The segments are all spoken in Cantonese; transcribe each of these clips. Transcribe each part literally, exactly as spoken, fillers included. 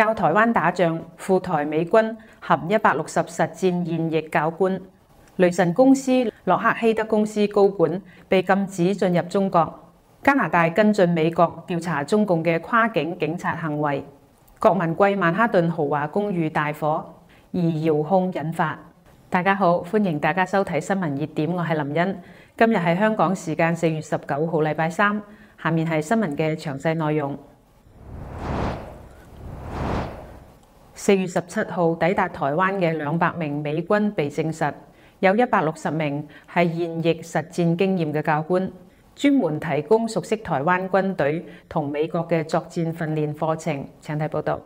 教台灣打仗，赴台美軍含一百六十實戰現役教官。雷神公司、洛克希德公司高管被禁止進入中國。加拿大跟進美國調查中共嘅跨境警察行為。郭文貴曼哈頓豪華公寓大火，而遙控引發。大家好，歡迎大家收睇新聞熱點，我係林茵。今日係香港時間四月十九號，禮拜三。下面係新聞嘅詳細內容。四月十七號抵達台灣嘅兩百名美軍被證實，有一百六十名係現役實戰經驗嘅教官，專門提供熟悉台灣軍隊同美國嘅作戰訓練課程。請睇報道。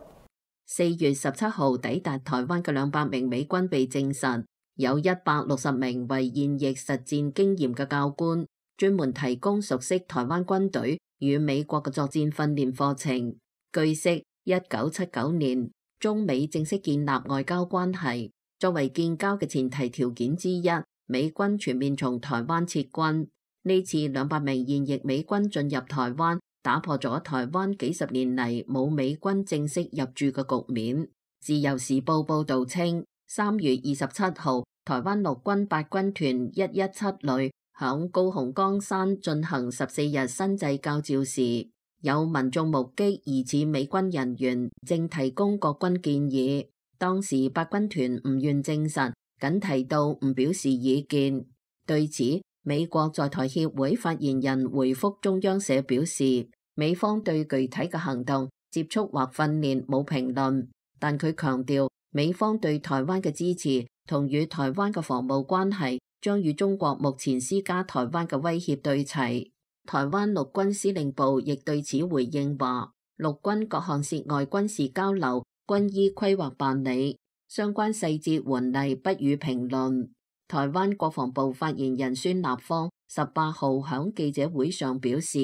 四月十七號抵達台灣嘅兩百名美軍被證實，有一百六十名為現役實戰經驗嘅教官，專門提供熟悉台灣軍隊與美國嘅作戰訓練課程。據悉，一九七九年中美正式建立外交關係，作為建交嘅前提條件之一，美軍全面從台灣撤軍。呢次兩百名現役美軍進入台灣，打破咗台灣幾十年嚟冇美軍正式入駐嘅局面。自由時報報道稱，三月二十七號，台灣陸軍八軍團一一七旅響高雄岡山進行十四日新制教召時，有民眾目擊疑似美軍人員正提供國軍建議。當時八軍團唔願證實，僅提到唔表示意見。對此，美國在台協會發言人回覆中央社表示，美方對具體嘅行動、接觸或訓練冇評論，但佢強調美方對台灣嘅支持同與台灣嘅防務關係將與中國目前施加台灣嘅威脅對齊。台灣陸軍司令部亦對此回應話，陸軍各項涉外軍事交流均依規劃辦理，相關細節緩例不予評論。台灣國防部發言人孫立方十八號響記者會上表示，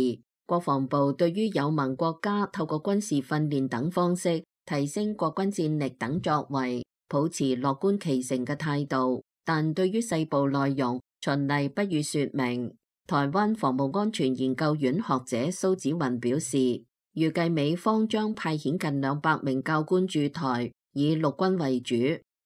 國防部對於有盟國家透過軍事訓練等方式提升國軍戰力等作為，抱持樂觀其成嘅態度，但對於細部內容循例不予說明。台灣防務安全研究院學者蘇紫雲表示，預計美方將派遣近兩百名教官駐台，以陸軍為主。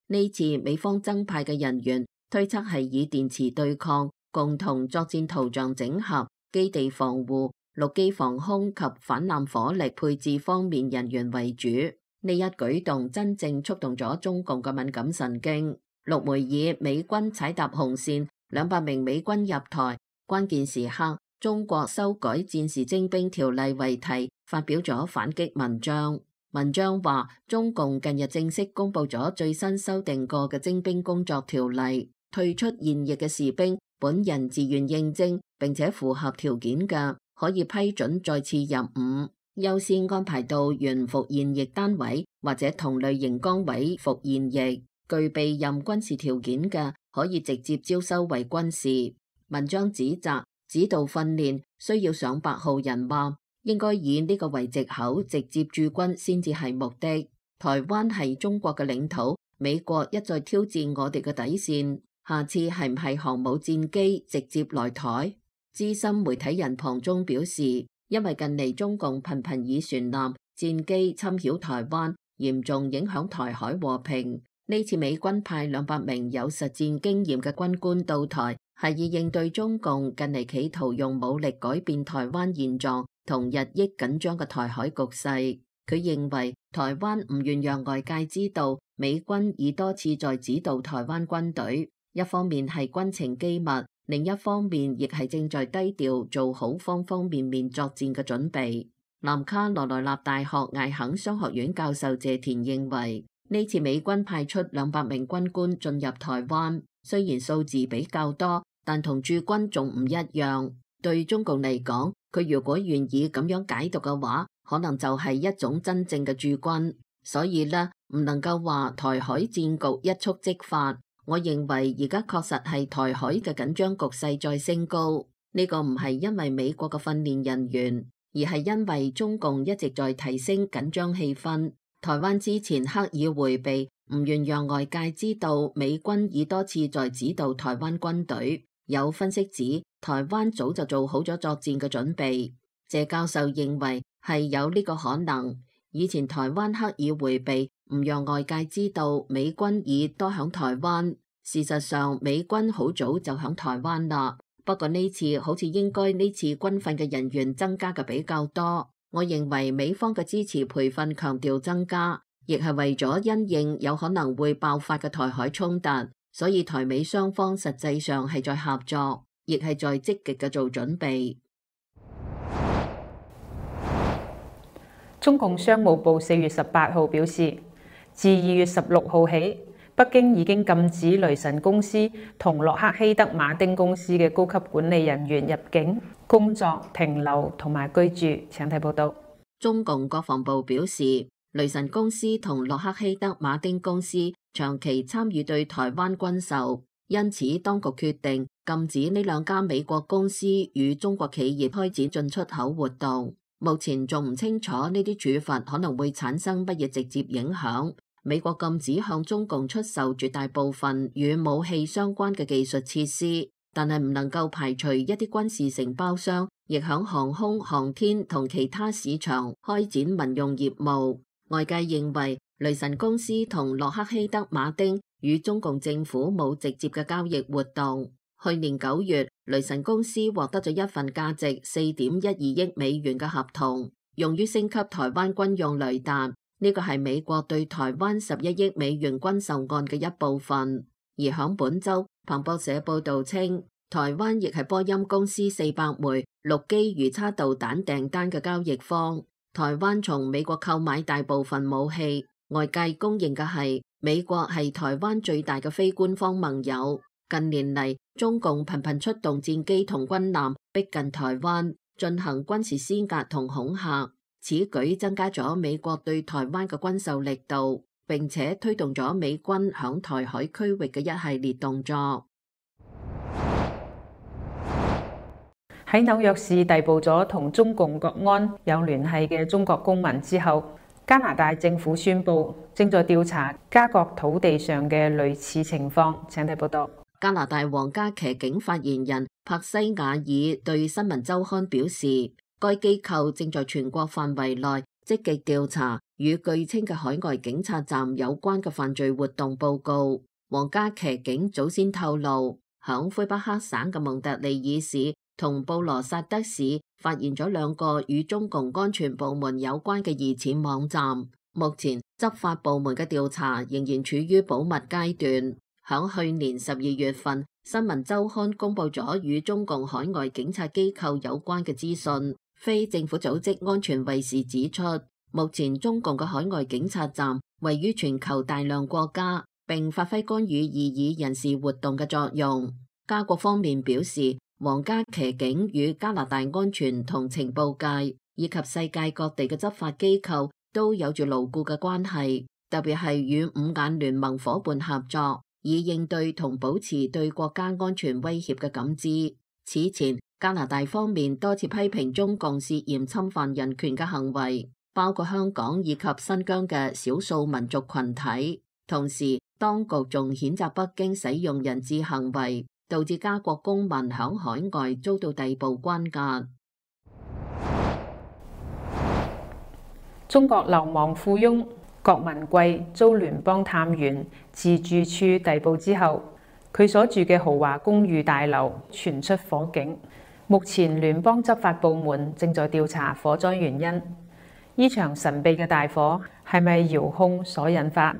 呢次美方增派嘅人員推測係以電磁對抗、共同作戰圖像整合、基地防護、陸基防空及反艦火力配置方面人員為主。呢一舉動真正觸動咗中共嘅敏感神經。陸媒以美軍踩踏紅線，兩百名美軍入台，關鍵時刻中國修改戰時徵兵條例為題，發表咗反擊文章。文章話，中共近日正式公布咗最新修訂過嘅徵兵工作條例，退出現役嘅士兵本人自願應徵並且符合條件嘅，可以批准再次入伍，優先安排到原服現役單位或者同類型崗位服現役，具備任軍事條件嘅，可以直接招收為軍士。文章指責指導訓練需要上百號人話，應該以呢個為藉口直接駐軍先至係目的。台灣係中國嘅領土，美國一再挑戰我哋嘅底線，下次係唔係航母戰機直接來台？資深媒體人龐中表示，因為近嚟中共頻頻以船艦、戰機侵擾台灣，嚴重影響台海和平。呢次美軍派兩百名有實戰經驗嘅軍官到台，係以應對中共近嚟企圖用武力改變台灣現狀同日益緊張嘅台海局勢。佢認為台灣唔願讓外界知道美軍已多次在指導台灣軍隊，一方面係軍情機密，另一方面亦係正在低調做好方方面面作戰嘅準備。南卡羅來納大學艾肯商學院教授謝田認為，呢次美軍派出兩百名軍官進入台灣，雖然數字比較多，但同駐軍仲唔一樣。對中共嚟講，佢如果願意咁樣解讀嘅話，可能就係一種真正嘅駐軍。所以呢，唔能夠話台海戰局一觸即發。我認為而家確實係台海嘅緊張局勢在升高。呢個唔係因為美國嘅訓練人員，而係因為中共一直在提升緊張氣氛。台灣之前刻意迴避，唔願讓外界知道美軍已多次在指導台灣軍隊。有分析指，台灣早就做好咗作戰嘅準備。謝教授認為係有呢個可能，以前台灣刻意迴避，唔讓外界知道美軍已多響台灣。事實上，美軍好早就響台灣啦。不過呢次好似應該呢次軍訓嘅人員增加嘅比較多。我認為美方嘅支持培訓強調增加，亦係為咗因應有可能會爆發嘅台海衝突，所以台美雙方實際上係在合作，亦係在積極嘅做準備。中共商務部四月十八號表示，自二月十六號起，北京已經禁止雷神公司同洛克希德馬丁公司嘅高級管理人員入境、工作、停留同埋居住。請睇報道。中共國防部表示，雷神公司同洛克希德馬丁公司長期參與對台灣軍售，因此當局決定禁止呢兩家美國公司與中國企業開展進出口活動。目前仲唔清楚呢啲處罰可能會產生乜嘢直接影響。美國禁止向中共出售絕大部分與武器相關嘅技術設施，但係唔能夠排除一啲軍事承包商亦響航空、航天同其他市場開展民用業務。外界認為雷神公司同洛克希德馬丁與中共政府冇直接嘅交易活動。去年九月，雷神公司獲得咗一份價值四點一二億美元嘅合同，用於升級台灣軍用雷達。呢個係美國對台灣十一億美元軍售案嘅一部分。而響本週，彭博社報道稱，台灣亦係波音公司四百枚陸基魚叉導彈訂單嘅交易方。台灣從美國購買大部分武器，外界公認嘅係美國係台灣最大嘅非官方盟友。近年嚟，中共頻頻出動戰機同軍艦逼近台灣，進行軍事施壓同恐嚇。此舉增加咗美國對台灣嘅軍售力度，並且推動咗美軍響台海區域嘅一系列動作。喺紐約市逮捕咗同中共國安有聯繫嘅中國公民之後，加拿大政府宣布正在調查加國土地上嘅類似情況。請睇報道。加拿大皇家騎警發言人柏西瓦爾對新聞週刊表示，該機構正在全國範圍內積極調查與據稱嘅海外警察站有關嘅犯罪活動報告。皇家騎警早先透露，響魁北克省嘅蒙特利爾市同布羅薩德市發現咗兩個與中共安全部門有關嘅疑似網站。目前執法部門嘅調查仍然處於保密階段。響去年十二月份，新聞週刊公布咗與中共海外警察機構有關嘅資訊。非政府組織安全衛士指出，目前中共嘅海外警察站位於全球大量國家，並發揮干預異議人士活動嘅作用。加國方面表示，皇家騎警與加拿大安全同情報界以及世界各地嘅執法機構都有住牢固嘅關係，特別係與五眼聯盟夥伴合作，以應對同保持對國家安全威脅嘅感知。此前，加拿大方面多次批評中共涉嫌侵犯人權嘅行為，包括香港以及新疆嘅少數民族群體。同時，當局仲譴責北京使用人質行為，導致加國公民響海外遭到逮捕關押。中國流亡富翁郭文貴遭聯邦探員自住處逮捕之後，佢所住嘅豪華公寓大樓傳出火警。目前聯邦執法部門正在調查火災原因。呢場神秘嘅大火係咪遙控所引發？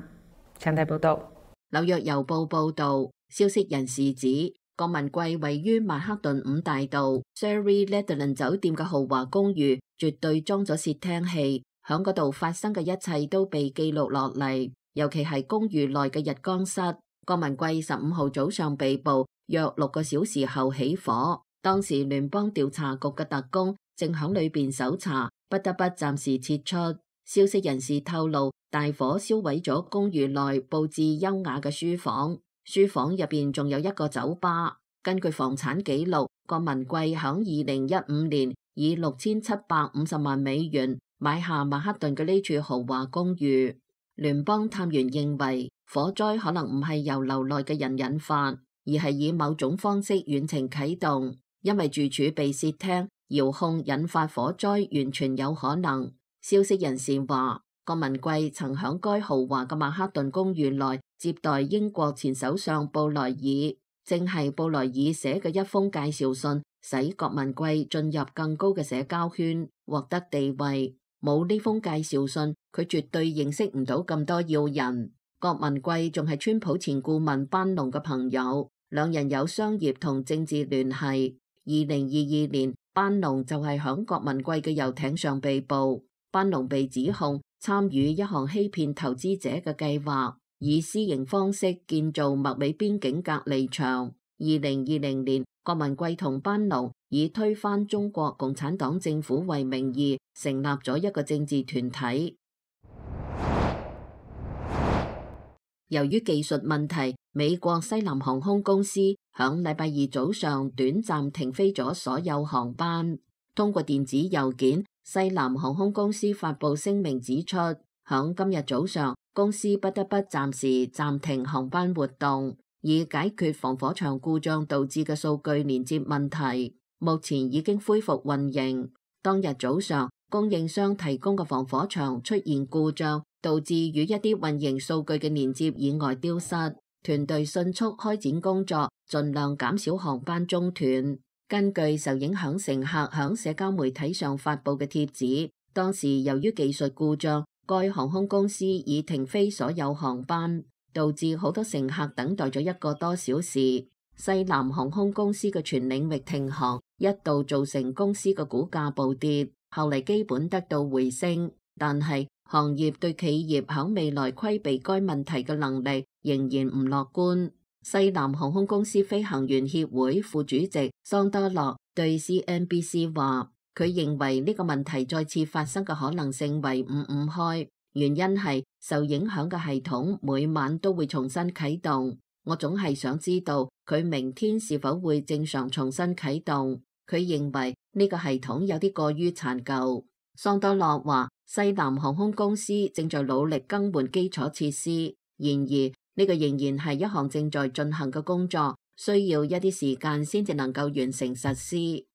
請睇報道。紐約郵報報道，消息人士指，郭文貴位於曼克頓五大道 Surrey Lederland 酒店嘅豪華公寓，絕對裝咗竊聽器，響嗰度發生嘅一切都被記錄落嚟，尤其係公寓內嘅日光室。郭文貴十五號早上被捕，約六個小時後起火。當時聯邦調查局嘅特工正響裏邊搜查，不得不暫時撤出。消息人士透露，大火燒毀咗公寓內佈置優雅嘅書房，書房入邊仲有一個酒吧。根據房產記錄，郭文貴響二零一五年以六千七百五十萬美元買下曼克頓嘅呢處豪華公寓。聯邦探員認為，火災可能唔係由樓內嘅人引發，而係以某種方式遠程啟動。因為住處被竊聽、遙控引發火災，完全有可能。消息人士話，郭文貴曾響該豪華嘅曼克頓公寓內接待英國前首相布萊爾，正係布萊爾寫嘅一封介紹信，使郭文貴進入更高嘅社交圈，獲得地位。冇呢封介紹信，佢絕對認識唔到咁多要人。郭文貴仲係川普前顧問班農嘅朋友，兩人有商業同政治聯繫。二零二二年，班農就係響郭文貴嘅遊艇上被捕。班農被指控參與一項欺騙投資者嘅計劃，以私營方式建造麥美邊境隔離牆。二零二零年，郭文貴同班農以推翻中國共產黨政府為名義，成立咗一個政治團體。由於技術問題，美國西南航空公司響禮拜二早上短暫停飛咗所有航班。通過電子郵件，西南航空公司發布聲明指出，響今日早上，公司不得不暫時暫停航班活動，以解決防火牆故障導致嘅數據連接問題。目前已經恢復運營。當日早上，供應商提供嘅防火牆出現故障，導致與一啲運營數據嘅連接意外丟失。團隊迅速開展工作，盡量減少航班中斷。根據受影響乘客響社交媒體上發布嘅帖子，當時由於技術故障，該航空公司已停飛所有航班，導致好多乘客等待咗一個多小時。西南航空公司嘅全領域停航，一度造成公司嘅股價暴跌，後嚟基本得到回升。但係行業對企業響未來規避該問題嘅能力仍然唔樂觀。西南航空公司飛行員協會副主席桑多洛對 C N B C 話，佢認為呢個問題再次發生嘅可能性為五五開，原因係受影響嘅系統每晚都會重新啟動。我總係想知道佢明天是否會正常重新啟動。佢認為呢個系統有啲過於殘舊。桑多洛話，西南航空公司正在努力更換基礎設施，然而呢個仍然係一項正在進行嘅工作，需要一啲時間先至能夠完成實施。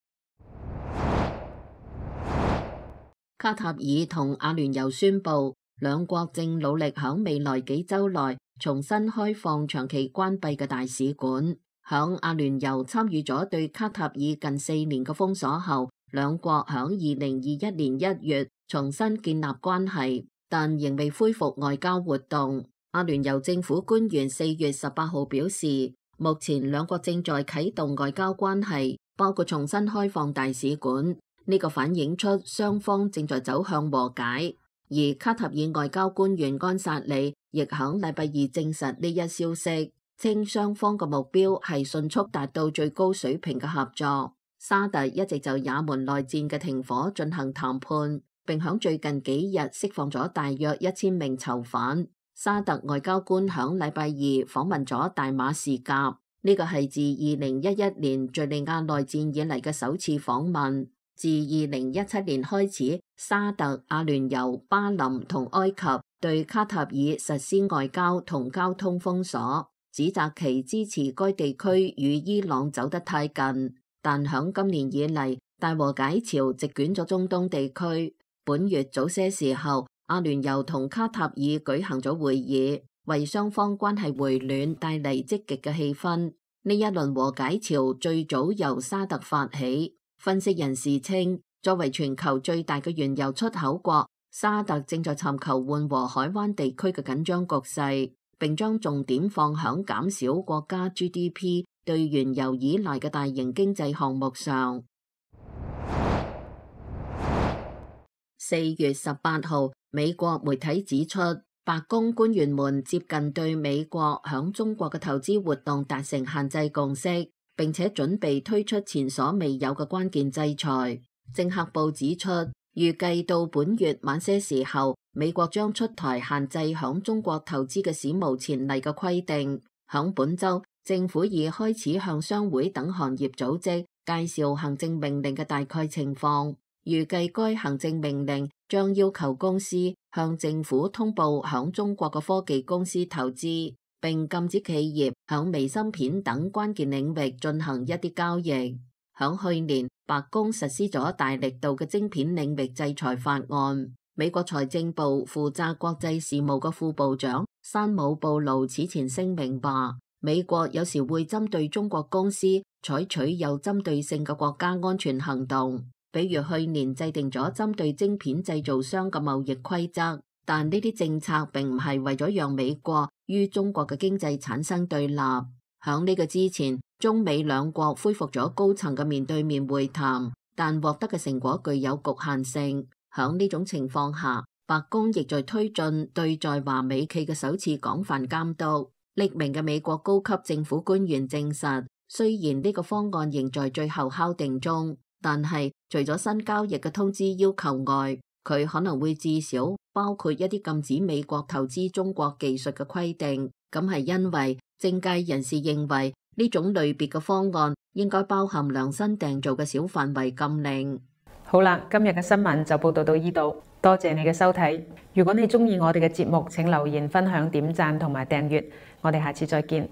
卡塔爾同阿聯酋宣布，兩國正努力響未來幾週內重新開放長期關閉嘅大使館。響阿聯酋參與咗對卡塔爾近四年嘅封鎖後，兩國響二零二一年一月重新建立關係，但仍未恢復外交活動。阿聯酋政府官員四月十八號表示，目前兩國正在啟動外交關係，包括重新開放大使館。呢個反映出雙方正在走向和解。而卡塔爾外交官員安薩里亦響禮拜二證實呢一消息，稱雙方嘅目標係迅速達到最高水平嘅合作。沙特一直就也門內戰嘅停火進行談判，並響最近幾日釋放咗大約一千名囚犯。沙特外交官響禮拜二訪問咗大馬士革，呢個係自二零一一年敘利亞內戰以嚟嘅首次訪問。自二零一七年開始，沙特、阿聯酋、巴林同埃及對卡塔爾實施外交同交通封鎖，指責其支持該地區與伊朗走得太近。但響今年以嚟，大和解潮席捲咗中東地區。本月早些時候，阿聯酋同卡塔爾舉行咗會議，為雙方關係回暖帶嚟積極嘅氣氛。呢一輪和解潮最早由沙特發起。分析人士稱，作為全球最大嘅原油出口國，沙特正在尋求緩和海灣地區嘅緊張局勢，並將重點放響減少國家 G D P 對原油依賴嘅大型經濟項目上。四月十八號，美國媒體指出，白宮官員們接近對美國響中國嘅投資活動達成限制共識，並且準備推出前所未有嘅關鍵制裁。政客報指出，預計到本月晚些時候，美國將出台限制響中國投資嘅史無前例嘅規定。響本週，政府已開始向商會等行業組織介紹行政命令嘅大概情況。預計該行政命令將要求公司向政府通報響中國嘅科技公司投資，並禁止企業響微芯片等關鍵領域進行一啲交易。響去年，白宮實施咗大力度嘅晶片領域制裁法案，美國財政部負責國際事務嘅副部長山姆布魯此前聲明話，美國有時會針對中國公司採取有針對性嘅國家安全行動，比如去年制定咗針對晶片製造商嘅貿易規則，但呢啲政策並唔係為咗讓美國與中國嘅經濟產生對立。響呢個之前，中美兩國恢復咗高層嘅面對面會談，但獲得嘅成果具有局限性。響呢種情況下，白宮亦在推進對在華美企嘅首次廣泛監督。匿名嘅美國高級政府官員證實，雖然呢個方案仍在最後敲定中，但係除咗新交易嘅通知要求外，佢可能會至少包括一啲禁止美國投資中國技術嘅規定。咁係因為政界人士認為呢種類別嘅方案應該包含量身訂造嘅小範圍禁令。好啦，今日嘅新聞就報道到呢度，多謝你嘅收睇。如果你鍾意我哋嘅節目，請留言、分享、點讚同埋訂閱。我哋下次再見。